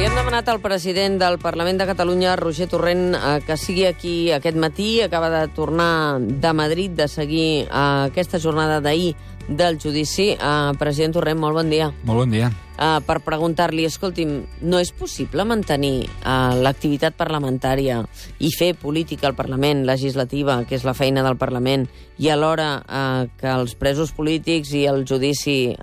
Li hem demanat al president del Parlament de Catalunya, Roger Torrent, que sigui aquí aquest matí. Acaba de tornar de Madrid, de seguir aquesta jornada d'ahir del judici. President Torrent, molt bon dia. Molt bon dia. Per preguntar-li, escolti'm, no és possible mantenir l'activitat parlamentària i fer política al Parlament, legislativa, que és la feina del Parlament, i alhora que els presos polítics i el judici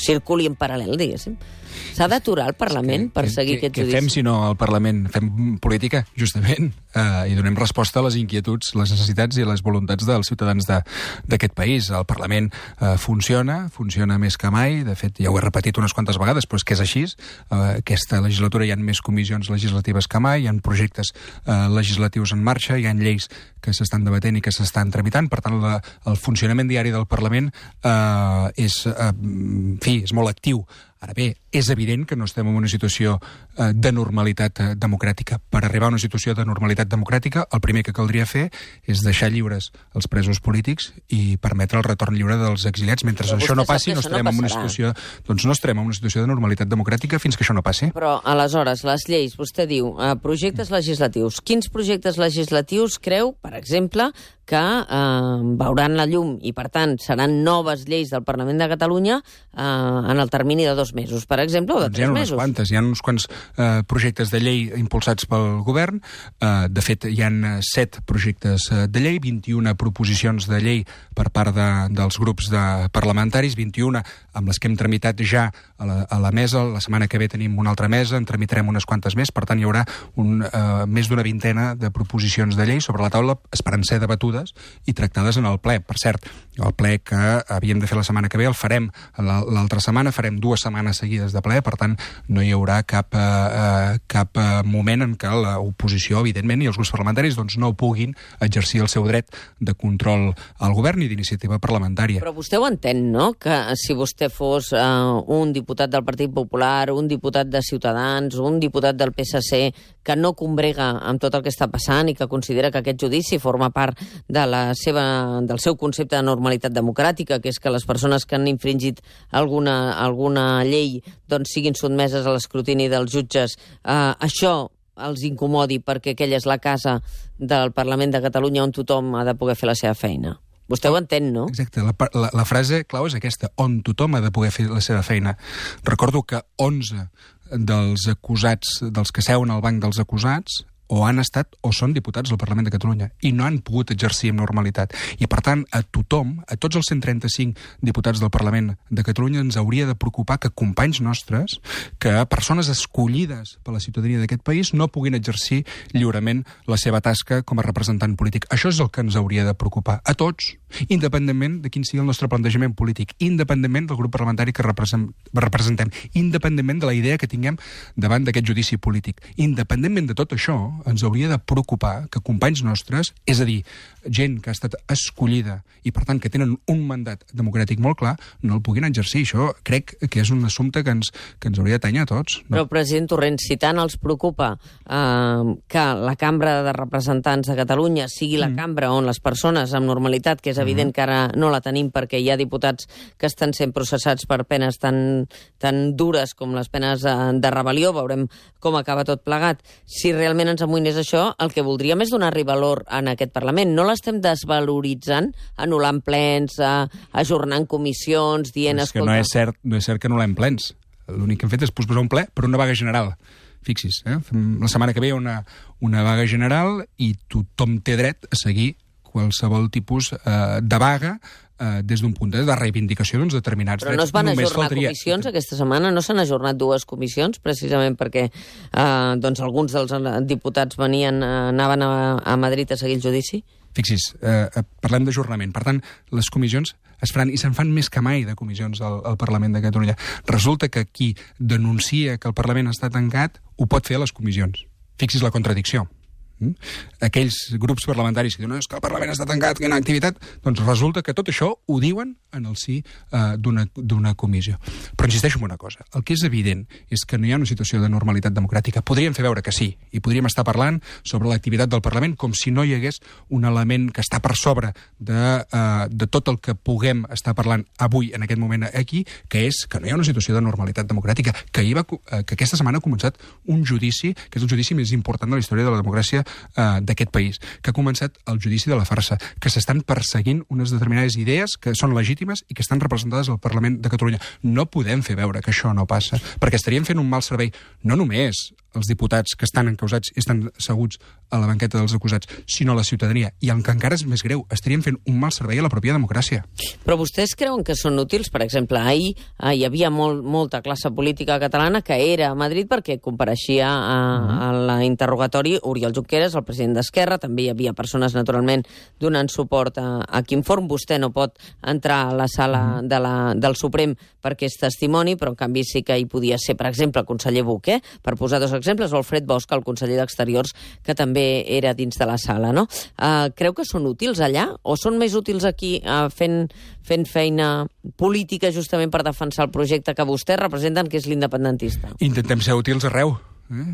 circuli en paral·lel, diguéssim? S'ha d'aturar el Parlament per seguir aquest judici? Què fem si no al Parlament? Fem política, justament, i donem resposta a les inquietuds, les necessitats i les voluntats dels ciutadans d'aquest país. El Parlament funciona més que mai. De fet, ja ho he repetit unes quantes vegades, però és que és així. Aquesta legislatura hi ha més comissions legislatives que mai, hi ha projectes legislatius en marxa, hi ha lleis que s'estan debatent i que s'estan tramitant. Per tant, el funcionament diari del Parlament és molt actiu. Ara bé, és evident que no estem en una situació de normalitat democràtica. Per arribar a una situació de normalitat democràtica, el primer que caldria fer és deixar lliures els presos polítics i permetre el retorn lliure dels exiliats. Mentre això no passi, no estarem en una situació, doncs no estarem en una situació de normalitat democràtica fins que això no passi. Però, aleshores, les lleis, vostè diu, projectes legislatius. Quins projectes legislatius creu, per exemple, que veuran la llum i, per tant, seran noves lleis del Parlament de Catalunya en el termini de 2 mesos, per exemple, o de 3 mesos? Hi ha uns quants projectes de llei impulsats pel govern. De fet, hi ha 7 projectes de llei, 21 proposicions de llei per part dels grups parlamentaris, 21 amb les que hem tramitat ja a la mesa. La setmana que ve tenim una altra mesa, en tramitarem unes quantes més. Per tant, hi haurà més d'una vintena de proposicions de llei sobre la taula, esperant ser debatudes i tractades en el ple. Per cert, el ple que havíem de fer la setmana que ve el farem l'altra setmana, farem 2 setmanes seguides de ple, per tant, no hi haurà cap moment en què l'oposició, evidentment, i els grups parlamentaris no puguin exercir el seu dret de control al govern i d'iniciativa parlamentària. Però vostè ho entén, no?, que si vostè fos un diputat del Partit Popular, un diputat de Ciutadans, un diputat del PSC, que no combrega amb tot el que està passant i que considera que aquest judici forma part del seu concepte de normalitat democràtica, que és que les persones que han infringit alguna llei siguin sotmeses a l'escrutini dels jutges, això els incomodi perquè aquella és la casa del Parlament de Catalunya on tothom ha de poder fer la seva feina. Vostè ho entén, no? Exacte. La frase clau és aquesta, on tothom ha de poder fer la seva feina. Recordo que 11 dels acusats, dels que seuen al banc dels acusats, o han estat o són diputats del Parlament de Catalunya i no han pogut exercir amb normalitat. I, per tant, a tothom, a tots els 135 diputats del Parlament de Catalunya, ens hauria de preocupar que companys nostres, que persones escollides per la ciutadania d'aquest país, no puguin exercir lliurement la seva tasca com a representant polític. Això és el que ens hauria de preocupar. A tots, independentment de quin sigui el nostre plantejament polític, independentment del grup parlamentari que representem, independentment de la idea que tinguem davant d'aquest judici polític. Independentment de tot això, ens hauria de preocupar que companys nostres, és a dir, gent que ha estat escollida i, per tant, que tenen un mandat democràtic molt clar, no el puguin exercir. Això crec que és un assumpte que ens hauria d'atanyar a tots. No? Però, president Torrent, si tant els preocupa que la Cambra de Representants de Catalunya sigui la cambra on les persones amb normalitat, que és evident que ara no la tenim perquè hi ha diputats que estan sent processats per penes tan dures com les penes de rebel·lió, veurem com acaba tot plegat. Si realment ens amoïnés això, el que voldríem és donar-li valor en aquest Parlament. No l'estem desvaloritzant, anul·lant plens, ajornant comissions, dient... És que no és cert que anul·lem plens. L'únic que hem fet és posposar un ple per una vaga general. Fixis, la setmana que ve hi ha una vaga general i tothom té dret a seguir qualsevol tipus de vaga des d'un punt de reivindicació d'uns determinats drets. Però no es van ajornar comissions aquesta setmana? No s'han ajornat 2 comissions, precisament perquè alguns dels diputats anaven a Madrid a seguir el judici? Fixis, parlem d'ajornament. Per tant, les comissions es faran, i se'n fan més que mai de comissions al Parlament de Catalunya. Resulta que qui denuncia que el Parlament està tancat ho pot fer a les comissions. Fixis la contradicció. Aquells grups parlamentaris que diuen que el Parlament està tancat, que hi ha activitat, doncs resulta que tot això ho diuen en el si d'una comissió. Però insisteixo en una cosa, el que és evident és que no hi ha una situació de normalitat democràtica. Podríem fer veure que sí, i podríem estar parlant sobre l'activitat del Parlament com si no hi hagués un element que està per sobre de tot el que puguem estar parlant avui, en aquest moment aquí, que és que no hi ha una situació de normalitat democràtica, que aquesta setmana ha començat un judici, que és el judici més important de la història de la democràcia d'aquest país, que ha començat el judici de la farsa, que s'estan perseguint unes determinades idees que són legítimes i que estan representades al Parlament de Catalunya. No podem fer veure que això no passa, perquè estaríem fent un mal servei, no només els diputats que estan encausats i estan asseguts a la banqueta dels acusats, sinó a la ciutadania. I el que encara és més greu, estaríem fent un mal servei a la pròpia democràcia. Però vostès creuen que són útils? Per exemple, ahir hi havia molta classe política catalana que era a Madrid perquè compareixia a l'interrogatori Oriol Junqueras, el president d'Esquerra. També hi havia persones, naturalment, donant suport a Quim Forn. Vostè no pot entrar a la sala del Suprem perquè és testimoni, però en canvi sí que hi podia ser, per exemple, el conseller Buch, per posar dos exemples, o Alfred Bosch, el conseller d'Exteriors, que també era dins de la sala, no? Creu que són útils allà? O són més útils aquí fent feina política justament per defensar el projecte que vostès representen, que és l'independentista? Intentem ser útils arreu.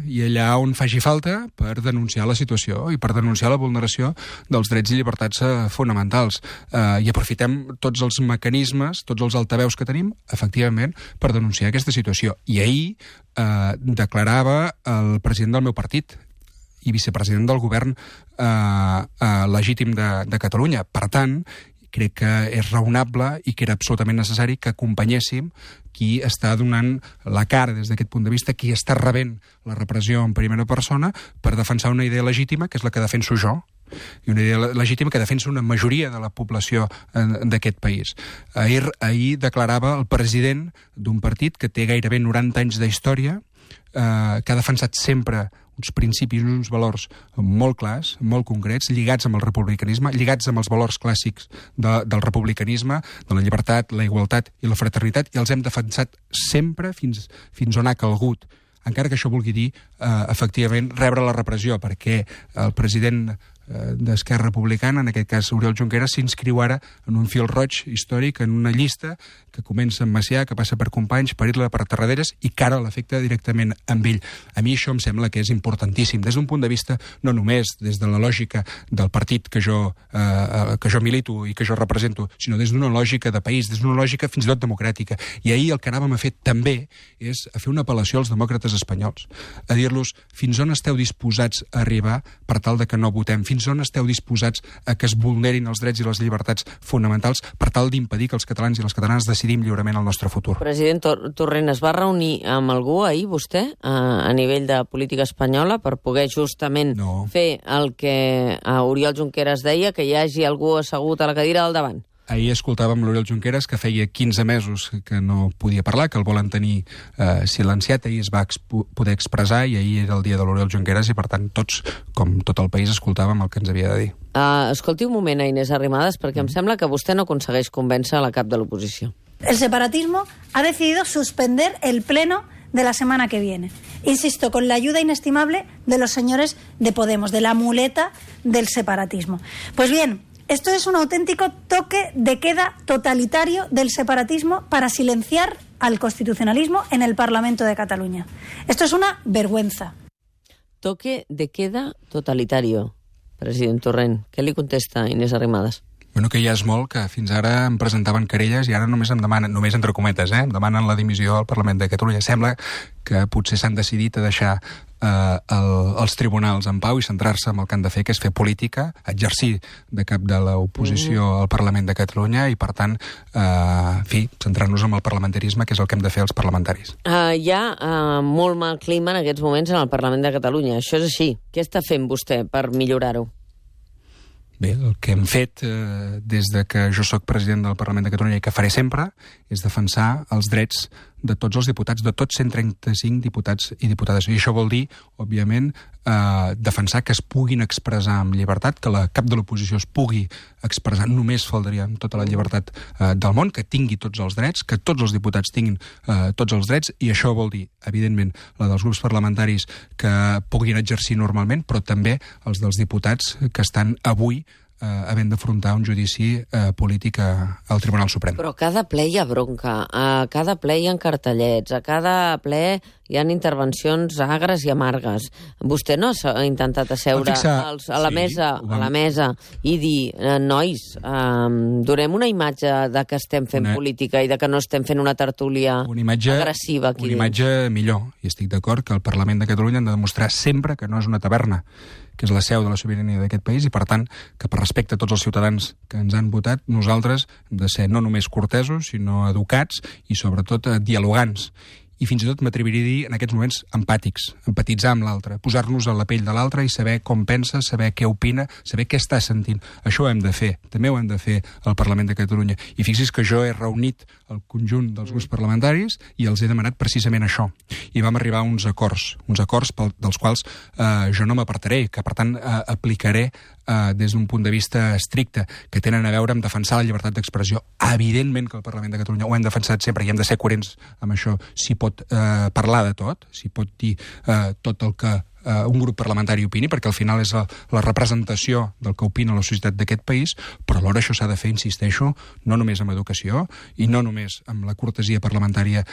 I allà on faci falta per denunciar la situació i per denunciar la vulneració dels drets i llibertats fonamentals. I aprofitem tots els mecanismes, tots els altaveus que tenim, efectivament, per denunciar aquesta situació. I ahir declarava el president del meu partit i vicepresident del govern legítim de Catalunya. Per tant, crec que és raonable i que era absolutament necessari que acompanyéssim qui està donant la cara des d'aquest punt de vista, qui està rebent la repressió en primera persona per defensar una idea legítima, que és la que defenso jo, i una idea legítima que defensa una majoria de la població d'aquest país. Ahir declarava el president d'un partit que té gairebé 90 anys d'història, que ha defensat sempre uns principis, uns valors molt clars, molt concrets, lligats amb el republicanisme, lligats amb els valors clàssics del republicanisme, de la llibertat, la igualtat i la fraternitat, i els hem defensat sempre fins on ha calgut, encara que això vulgui dir, efectivament, rebre la repressió, perquè el president d'Esquerra Republicana, en aquest cas Oriol Junqueras, s'inscriu ara en un fil roig històric, en una llista que comença amb Macià, que passa per Companys, per Irla, per Tarraderes, i que ara l'afecta directament amb ell. A mi això em sembla que és importantíssim, des d'un punt de vista no només des de la lògica del partit que jo milito i que jo represento, sinó des d'una lògica de país, des d'una lògica fins i tot democràtica. I ahir el que anàvem a fer també és a fer una apel·lació als demòcrates espanyols, a dir-los fins on esteu disposats a arribar per tal de que no votem, fins on esteu disposats a que es vulnerin els drets i les llibertats fonamentals per tal d'impedir que els catalans i les catalanes decidim lliurement el nostre futur. President Torrent, es va reunir amb algú ahir, vostè, a nivell de política espanyola, per poder justament fer el que Oriol Junqueras deia, que hi hagi algú assegut a la cadira del davant? Ahir escoltàvem l'Oriol Junqueras, que feia 15 mesos que no podia parlar, que el volen tenir silenciat. Ahir es va poder expressar i ahir era el dia de l'Oriol Junqueras i, per tant, tots, com tot el país, escoltàvem el que ens havia de dir. Escolti un moment a Inés Arrimadas, perquè em sembla que vostè no aconsegueix convèncer a la cap de l'oposició. El separatismo ha decidido suspender el pleno de la semana que viene. Insisto, con la ayuda inestimable de los señores de Podemos, de la muleta del separatismo. Pues bien, esto es un auténtico toque de queda totalitario del separatismo para silenciar al constitucionalismo en el Parlamento de Cataluña. Esto es una vergüenza. Toque de queda totalitario, president Torrent. Què li contesta Inés Arrimadas? Bueno, que ja és molt, que fins ara em presentaven querelles i ara només em demanen, només entre cometes, em demanen la dimissió al Parlament de Catalunya. Sembla que potser s'han decidit a deixar els tribunals en pau i centrar-se en el que han de fer, que és fer política, exercir de cap de l'oposició al Parlament de Catalunya i, per tant, centrar-nos en el parlamentarisme, que és el que hem de fer els parlamentaris. Hi ha molt mal clima en aquests moments en el Parlament de Catalunya. Això és així. Què està fent vostè per millorar-ho? Bé, el que hem fet des de que jo sóc president del Parlament de Catalunya i que faré sempre és defensar els drets de tots els diputats, de tots 135 diputats i diputades. I això vol dir, òbviament, defensar que es puguin expressar amb llibertat, que la cap de l'oposició es pugui expressar, només faltaria amb tota la llibertat del món, que tingui tots els drets, que tots els diputats tinguin tots els drets, i això vol dir, evidentment, la dels grups parlamentaris que puguin exercir normalment, però també els dels diputats que estan avui havent d'afrontar un judici polític al Tribunal Suprem. Però a cada ple hi ha bronca, a cada ple hi ha cartellets, a cada ple hi ha intervencions agres i amargues. Vostè no ha intentat asseure a la mesa i dir, nois, donem una imatge de que estem fent política i de que no estem fent una tertúlia agressiva aquí dins? Una imatge millor, i estic d'acord que el Parlament de Catalunya han de demostrar sempre que no és una taverna, que és la seu de la sobirania d'aquest país, i per tant que per respecte a tots els ciutadans que ens han votat, nosaltres hem de ser no només cortesos, sinó educats i sobretot dialogants. I fins i tot m'atreviria a dir, en aquests moments, empàtics, empatitzar amb l'altre, posar-nos a la pell de l'altre i saber com pensa, saber què opina, saber què està sentint. Això ho hem de fer, també ho hem de fer al Parlament de Catalunya. I fixi's que jo he reunit el conjunt dels grups parlamentaris i els he demanat precisament això. I vam arribar a uns acords dels quals jo no m'apartaré, que per tant aplicaré des d'un punt de vista estricte, que tenen a veure amb defensar la llibertat d'expressió. Evidentment que el Parlament de Catalunya ho hem defensat sempre i hem de ser coherents amb això. Si pot parlar de tot, si pot dir tot el que un grup parlamentari opini, perquè al final és la representació del que opina la societat d'aquest país, però alhora això s'ha de fer, insisteixo, no només amb educació i no només amb la cortesia parlamentària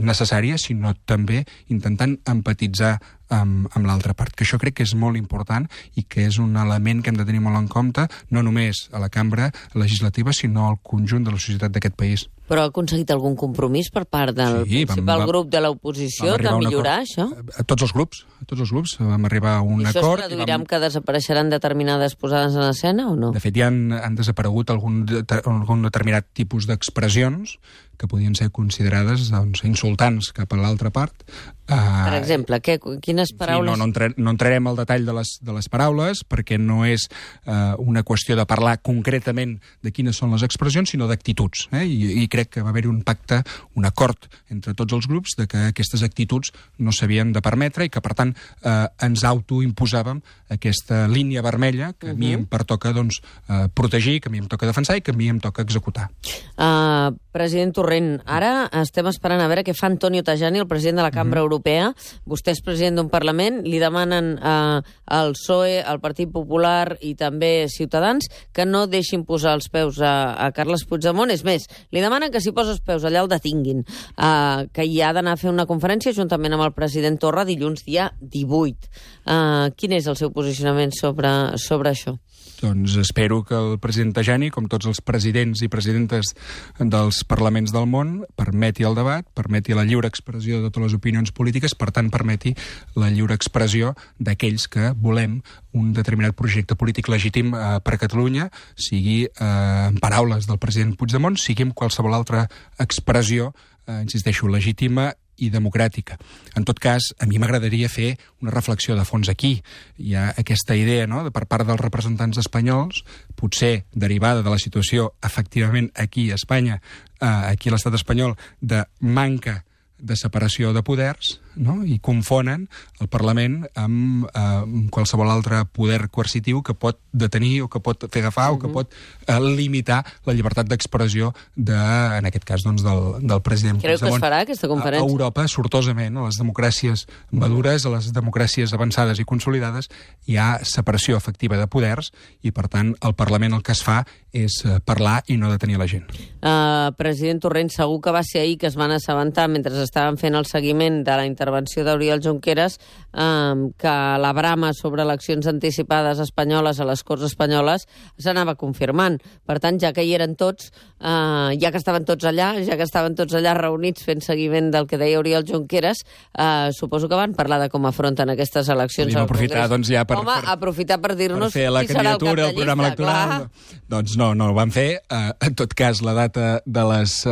necessària, sinó també intentant empatitzar amb l'altra part, que això crec que és molt important i que és un element que hem de tenir molt en compte, no només a la cambra legislativa, sinó al conjunt de la societat d'aquest país. Però ha aconseguit algun compromís per part del principal grup de l'oposició de millorar això? A tots els grups vam arribar a un acord. I això es traduirà en que desapareixeran determinades posades en escena o no? De fet, ja han desaparegut algun determinat tipus d'expressions que podien ser considerades insultants cap a l'altra part. Per exemple, quines paraules? No entrarem al detall de les paraules, perquè no és una qüestió de parlar concretament de quines són les expressions, sinó d'actituds. I crec que va haver-hi un pacte, un acord entre tots els grups de que aquestes actituds no s'havien de permetre i que, per tant, ens autoimposàvem aquesta línia vermella que a mi em pertoca protegir, que a mi em toca defensar i que a mi em toca executar. President Torrent, ara estem esperant a veure què fa Antonio Tajani, el president de la Cambra Europea. Vostè és president d'un Parlament, li demanen al PSOE, al Partit Popular i també Ciutadans que no deixin posar els peus a Carles Puigdemont. És més, li demanen que si posa els peus allà el detinguin, que hi ha d'anar a fer una conferència juntament amb el president Torra dilluns dia 18. Quin és el seu posicionament sobre això? Doncs espero que el president Tajani, com tots els presidents i presidentes dels parlaments del món, permeti el debat, permeti la lliure expressió de totes les opinions polítiques, per tant permeti la lliure expressió d'aquells que volem un determinat projecte polític legítim per a Catalunya, sigui en paraules del president Puigdemont, sigui en qualsevol altra expressió, insisteixo, legítima i democràtica. En tot cas, a mi m'agradaria fer una reflexió de fons aquí. Hi ha aquesta idea, no?, per part dels representants espanyols, potser derivada de la situació, efectivament, aquí a Espanya, aquí a l'estat espanyol, de manca de separació de poders, no?, i confonen el Parlament amb qualsevol altre poder coercitiu que pot detenir o que pot fer agafar o que pot limitar la llibertat d'expressió en aquest cas, doncs, del president Puigdemont. Creu que es farà aquesta conferència? A Europa, sortosament, a les democràcies madures, a les democràcies avançades i consolidades, hi ha separació efectiva de poders i, per tant, al Parlament el que es fa és parlar i no detenir la gent. President Torrent, segur que va ser ahir que es van assabentar, mentre estaven fent el seguiment de la intervenció d'Oriol Junqueras, que la brama sobre eleccions anticipades espanyoles a les Corts espanyoles s'anava confirmant. Per tant, ja que hi eren tots, ja que estaven tots allà reunits fent seguiment del que deia Oriol Junqueras, suposo que van parlar de com afronten aquestes eleccions al Congrés. Doncs, ja aprofitar per dir-nos qui serà el cap de llista. Doncs no ho van fer. En tot cas, la data de les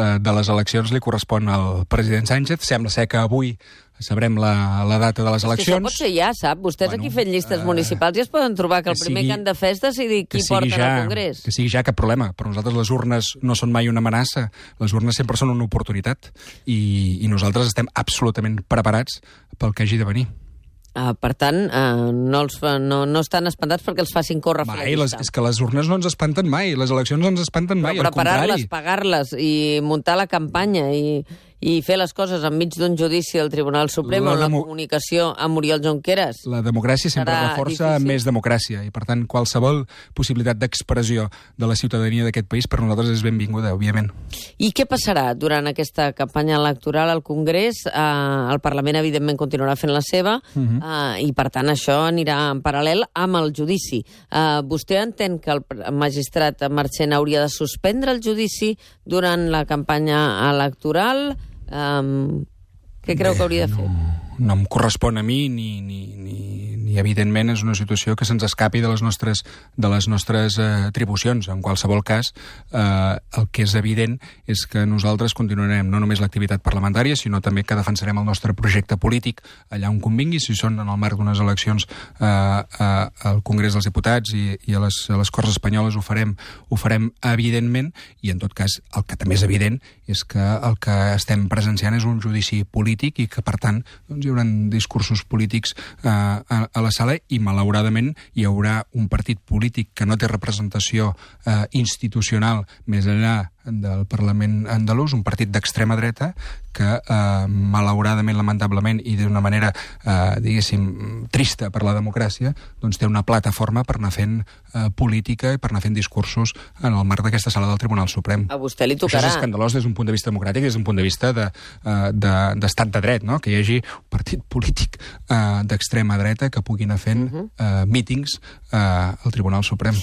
eleccions li correspon al president Sánchez. Sembla ser que avui sabrem la data de les eleccions. Això pot ser ja, sap? Vostès aquí fent llistes municipals ja es poden trobar que el primer que han de fer és decidir qui porten al Congrés. Que sigui ja, cap problema. Per nosaltres les urnes no són mai una amenaça, les urnes sempre són una oportunitat i nosaltres estem absolutament preparats pel que hagi de venir. Per tant, no estan espantats perquè els facin córrer a fer la llista. És que les urnes no ens espanten mai, les eleccions no ens espanten mai, al contrari. Preparar-les, pagar-les i muntar la campanya i fer les coses enmig d'un judici al Tribunal Suprem o la comunicació amb Oriol Junqueras. La democràcia sempre reforça més democràcia i, per tant, qualsevol possibilitat d'expressió de la ciutadania d'aquest país per nosaltres és benvinguda, òbviament. I què passarà durant aquesta campanya electoral al Congrés? El Parlament, evidentment, continuarà fent la seva i, per tant, això anirà en paral·lel amb el judici. Vostè entén que el magistrat Marchena hauria de suspendre el judici durant la campanya electoral? Què creu que hauria de fer? No em correspon a mi ni evidentment és una situació que se'ns escapi de les nostres atribucions. En qualsevol cas, el que és evident és que nosaltres continuarem no només l'activitat parlamentària, sinó també que defensarem el nostre projecte polític allà on convingui, si són en el marc d'unes eleccions al Congrés dels Diputats i a les Corts Espanyoles ho farem evidentment, i en tot cas el que també és evident és que el que estem presenciant és un judici polític i que, per tant, doncs, hi haurà discursos polítics a la sala i, malauradament, hi haurà un partit polític que no té representació institucional més enllà del Parlament andalús, un partit d'extrema dreta que, malauradament, lamentablement, i d'una manera, diguéssim, trista per la democràcia, doncs té una plataforma per anar fent política i per anar fent discursos en el marc d'aquesta sala del Tribunal Suprem. A vostè li tocarà. Això és escandalós des d'un punt de vista democràtic i des d'un punt de vista d'estat de dret, no? Que hi hagi un partit polític d'extrema dreta que pugui anar fent mítings al Tribunal Suprem.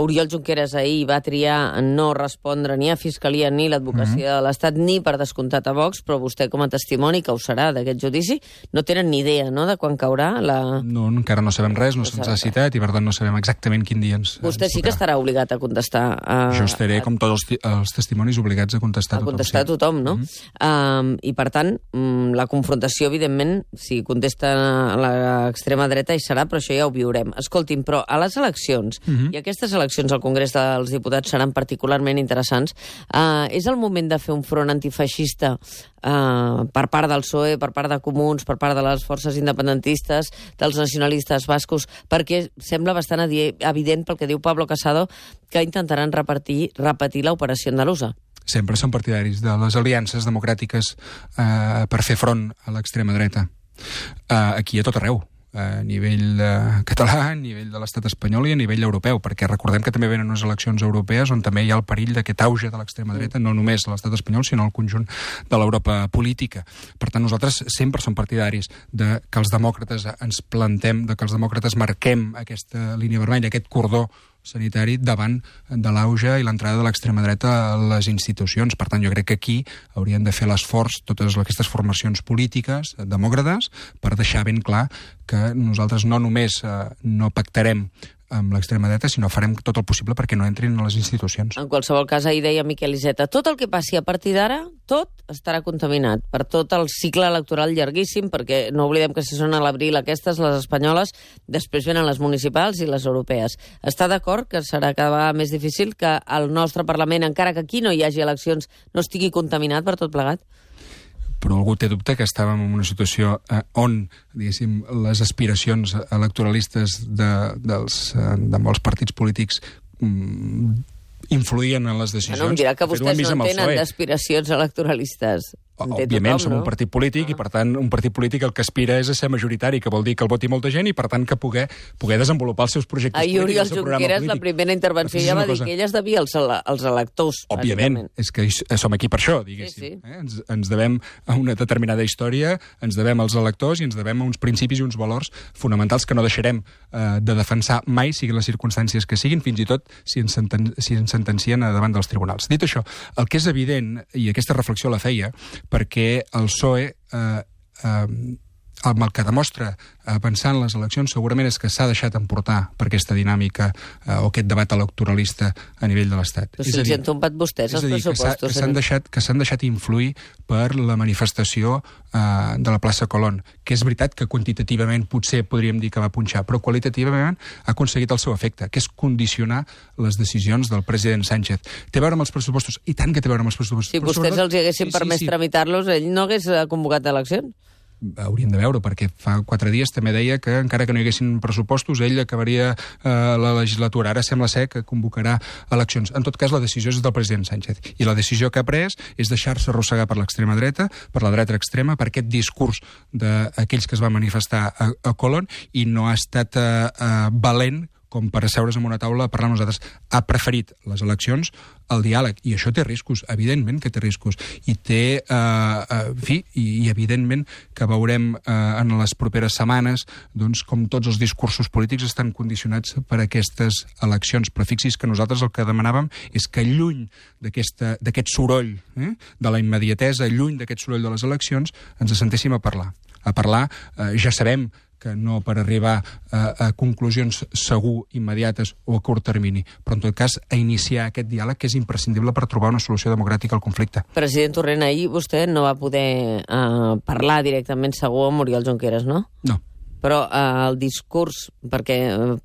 Oriol Junqueras ahir va triar no respondre ni a Fiscalia ni l'Advocacia de l'Estat ni per descomptat a Vox, però vostè com a testimoni que ho serà d'aquest judici no tenen ni idea, no?, de quan caurà la... No, encara no sabem res, no se'ns ha citat i per tant no sabem exactament quin dia ens Vostè sí que estarà obligat a contestar. Jo estaré, com tots els testimonis, obligats a contestar a tothom, no? I per tant, la confrontació, evidentment, si contesta l'extrema dreta hi serà, però això ja ho viurem. Escolti'm, però a les eleccions, i aquestes eleccions al Congrés dels Diputats seran particularment interessants, és el moment de fer un front antifeixista per part del PSOE, per part de Comuns, per part de les forces independentistes, dels nacionalistes bascos, perquè sembla bastant evident pel que diu Pablo Casado que intentaran repetir l'operació andalusa. Sempre són partidaris de les aliances democràtiques per fer front a l'extrema dreta. Aquí a tot arreu, a nivell català, a nivell de l'estat espanyol i a nivell europeu, perquè recordem que també venen unes eleccions europees on també hi ha el perill d'aquest auge de l'extrema dreta, no només a l'estat espanyol, sinó al conjunt de l'Europa política. Per tant, nosaltres sempre som partidaris de que els demòcrates ens plantem, de que els demòcrates marquem aquesta línia vermella, aquest cordó sanitari davant de l'auge i l'entrada de l'extrema dreta a les institucions. Per tant, jo crec que aquí haurien de fer l'esforç totes aquestes formacions polítiques demòcrates per deixar ben clar que nosaltres no només no pactarem amb l'extrema dreta, sinó farem tot el possible perquè no entrin a les institucions. En qualsevol cas, ahir deia Miquel Iceta, tot el que passi a partir d'ara, tot estarà contaminat per tot el cicle electoral llarguíssim, perquè no oblidem que si són a l'abril aquestes, les espanyoles, després venen les municipals i les europees. Està d'acord que serà cada vegada més difícil que el nostre Parlament, encara que aquí no hi hagi eleccions, no estigui contaminat per tot plegat? Però algú té dubte que estàvem en una situació on, diguéssim, les aspiracions electoralistes de molts partits polítics influïen en les decisions. No em dirà que vostès no tenen d'aspiracions electoralistes. Òbviament, som un partit polític i, per tant, un partit polític el que aspira és a ser majoritari, que vol dir que el voti molta gent i, per tant, que poder desenvolupar els seus projectes polítics. Oriol Junqueras, la primera intervenció, ja va dir que ell es devia als electors. Òbviament, és que som aquí per això, diguéssim. Ens devem a una determinada història, ens devem als electors i ens devem a uns principis i uns valors fonamentals que no deixarem de defensar mai, siguin les circumstàncies que siguin, fins i tot si ens sentencien davant dels tribunals. Dit això, el que és evident, i aquesta reflexió la feia, perquè el PSOE el que demostra pensar en les eleccions segurament és que s'ha deixat emportar per aquesta dinàmica o aquest debat electoralista a nivell de l'Estat. Però si els han tombat vostès els pressupostos. Que s'han deixat influir per la manifestació de la plaça Colón, que és veritat que quantitativament potser podríem dir que va punxar, però qualitativament ha aconseguit el seu efecte, que és condicionar les decisions del president Sánchez. Té a veure amb els pressupostos, i tant que té a veure amb els pressupostos. Si vostès els haguessin permès tramitar-los, ell no hagués convocat eleccions? Hauríem de veure, perquè fa 4 dies també deia que encara que no hi haguessin pressupostos ell acabaria la legislatura. Ara sembla ser que convocarà eleccions. En tot cas, la decisió és del president Sánchez. I la decisió que ha pres és deixar-se arrossegar per l'extrema dreta, per la dreta extrema, per aquest discurs d'aquells que es van manifestar a Colón, i no ha estat valent com per asseure's en una taula a parlar amb nosaltres. Ha preferit les eleccions al diàleg, i això té riscos, evidentment que té riscos, i té, i evidentment que veurem en les properes setmanes doncs, com tots els discursos polítics estan condicionats per aquestes eleccions. Però fixi's que nosaltres el que demanàvem és que lluny d'aquest soroll, de la immediatesa, lluny d'aquest soroll de les eleccions, ens assentéssim a parlar. Ja sabem que no per arribar a conclusions segur immediates o a curt termini, però en tot cas a iniciar aquest diàleg que és imprescindible per trobar una solució democràtica al conflicte. President Torrent, ahir vostè no va poder parlar directament segur amb Oriol Junqueras, no? No. Però el discurs, perquè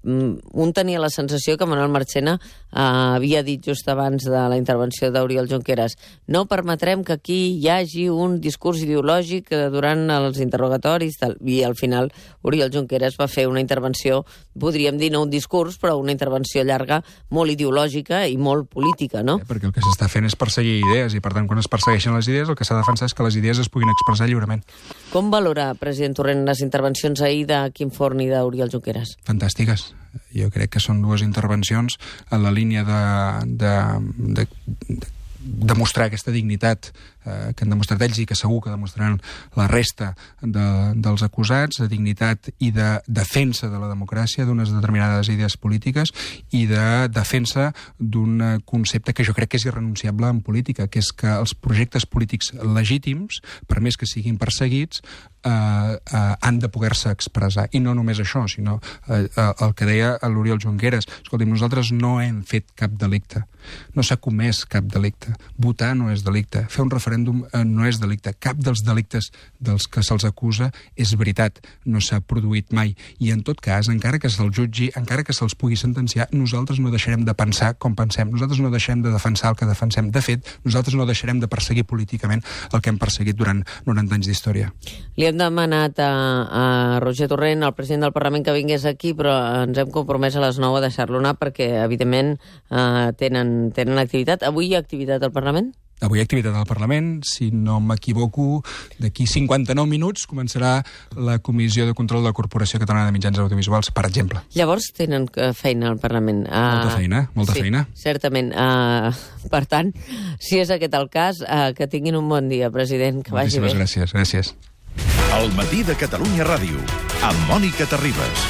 un tenia la sensació que Manuel Marchena havia dit just abans de la intervenció d'Oriol Junqueras: no permetrem que aquí hi hagi un discurs ideològic durant els interrogatoris, i al final Oriol Junqueras va fer una intervenció, podríem dir no un discurs, però una intervenció llarga, molt ideològica i molt política, no? Perquè el que s'està fent és perseguir idees, i per tant quan es persegueixen les idees el que s'ha de defensar és que les idees es puguin expressar lliurement. Com valora, president Torrent, les intervencions ahir de Quim Forn i d'Oriol Junqueras? Fantàstiques. Jo crec que són 2 intervencions en la línia de demostrar aquesta dignitat que han demostrat ells i que segur que demostraran la resta dels acusats, de dignitat i de defensa de la democràcia, d'unes determinades idees polítiques i de defensa d'un concepte que jo crec que és irrenunciable en política, que és que els projectes polítics legítims, per més que siguin perseguits, han de poder-se expressar. I no només això, sinó el que deia l'Oriol Junqueras. Escolti'm, nosaltres no hem fet cap delicte. No s'ha comès cap delicte. Votar no és delicte. Fer un referèndum no és delicte. Cap dels delictes dels que se'ls acusa és veritat. No s'ha produït mai. I en tot cas, encara que se'ls jutgi, encara que se'ls pugui sentenciar, nosaltres no deixarem de pensar com pensem. Nosaltres no deixarem de defensar el que defensem. De fet, nosaltres no deixarem de perseguir políticament el que hem perseguit durant 90 anys d'història. Li hem demanat a Roger Torrent, el president del Parlament, que vingués aquí, però ens hem compromès a les 9 a deixar-lo anar perquè, evidentment, tenen activitat. Avui hi ha activitat al Parlament? Avui hi ha activitat al Parlament. Si no m'equivoco, d'aquí 59 minuts començarà la Comissió de Control de la Corporació Catalana de Mitjans Audiovisuals, per exemple. Llavors tenen feina al Parlament. Molta feina. Certament. Per tant, si és aquest el cas, que tinguin un bon dia, president, que vagi bé. Moltíssimes gràcies. El matí de Catalunya Ràdio, amb Mònica Terribas.